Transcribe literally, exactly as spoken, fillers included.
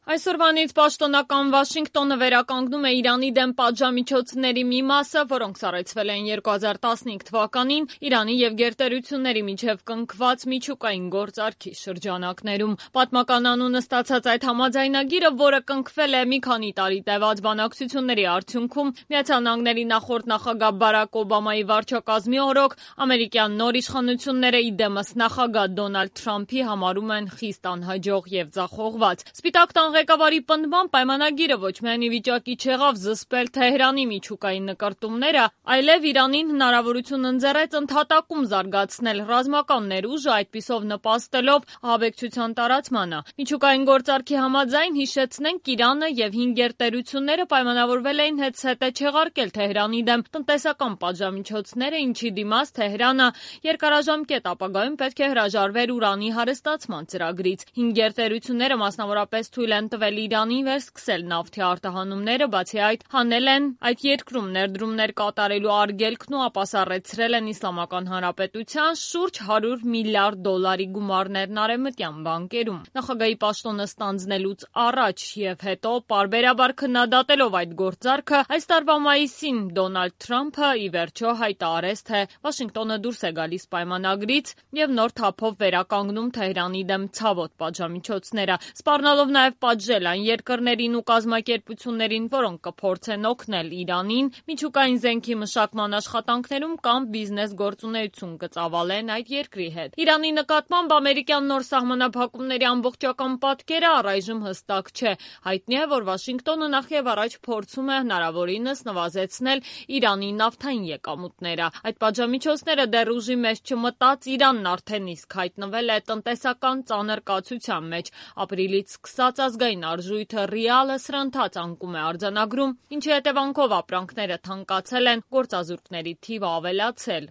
Այսօրվանից պաշտոնական Վաշինգտոնը վերականգնում է Իրանի դեմ պատժամիջոցների մի մասը, որոնք սառեցվել էին երկու հազար տասնհինգ թվականին Իրանի և գերտերությունների միջև կնքված միջուկային գործարքի շրջանակներում։ Պատմական անունը ստացած այդ համաձայնագիրը, որը կնքվել է մի քանի տարի տևած բանակցությունների արդյունքում, Միացյալ Նահանգների նախորդ նախագահ Բարաք Օբամայի վարչակազմի օրոք ամերիկյան նոր իշխանությունները ի դեմս նախագահ Դոնալդ Թրամփի համարում են խիստ անհաջող և ձախողված։ Սպիտակ տան ղեկավարի պնդմամբ պայմանագիրը ոչ միայն ի վիճակի չեղավ զսպել Թեհրանի միջուկային նկրտումները, այլև Իրանին հնարավորություն ընձեռեց ընդհատակում զարգացնել ռազմական ներուժը, այդպիսով նպաստելով ահաբեկչության տարածմանը։ Միջուկային գործարքի համաձայն, հիշեցնենք, Իրանը և հինգ գերտերությունները պայմանավորվել էին հետզհետե չեղարկել Թեհրանի դեմ տնտեսական պատժամիջոցները, ինչի դիմաց Թեհրանը երկարաժամկետ ապագայում պետք է հրաժարվեր ուրանի հարստացման ծրագրից։ Հինգ գերտերությունները մասնավորապես թույլ են տվել Իրանին վերսկսել նավթի արտահանումները, բացի այդ հանել են այդ երկրում ներդրումներ կատարելու արգելքն ու ապասառեցրել են Իսլամական Հանրապետության շուրջ հարյուր միլիարդ դոլարի գումարներն արևմտյան բանկերում։ Նախագահի պաշտոնը ստանձնելուց առաջ և հետո պարբերաբար քննադատելով այդ գործարքը, այս տարվա մայիսին Դոնալդ Թրամփը ի վերջո հայտարարեց, թե Վաշինգտոնը դուրս է գալիս պայմանագրից և նոր թափով վերականգնում Թեհրանի դեմ ցավոտ պատժամիջոցները, սպառնալով նաև պատժել այն երկրներին ու կազմակերպություններին, որոնք կփորձեն օգնել Իրանին միջուկային զենքի մշակման աշխատանքներում կամ բիզնես գործունեություն կծավալեն այդ երկրի հետ։ Իրանի նկատմամբ ամերիկյան նոր սահմանափակումների ամբողջական պատկերը առայժմ հստակ չէ։ Հայտնի է, որ Վաշինգտոնը նախևառաջ փորձում է հնարավորինս նվազեցնել Իրանի նավթային եկամուտները։ Այդ պատժամիջոցները դեռ ուժի մեջ չմտած Իրանն արդեն իսկ հայտնվել է տնտեսական ծանր կացության մեջ։ Ապրիլից սկսած ազգային արժույթը ռիալը սրընթաց անկում է արձանագրում, ինչի հետևանքով ապրանքները թանկացել են, գործազուրկների թիվը ավելացել։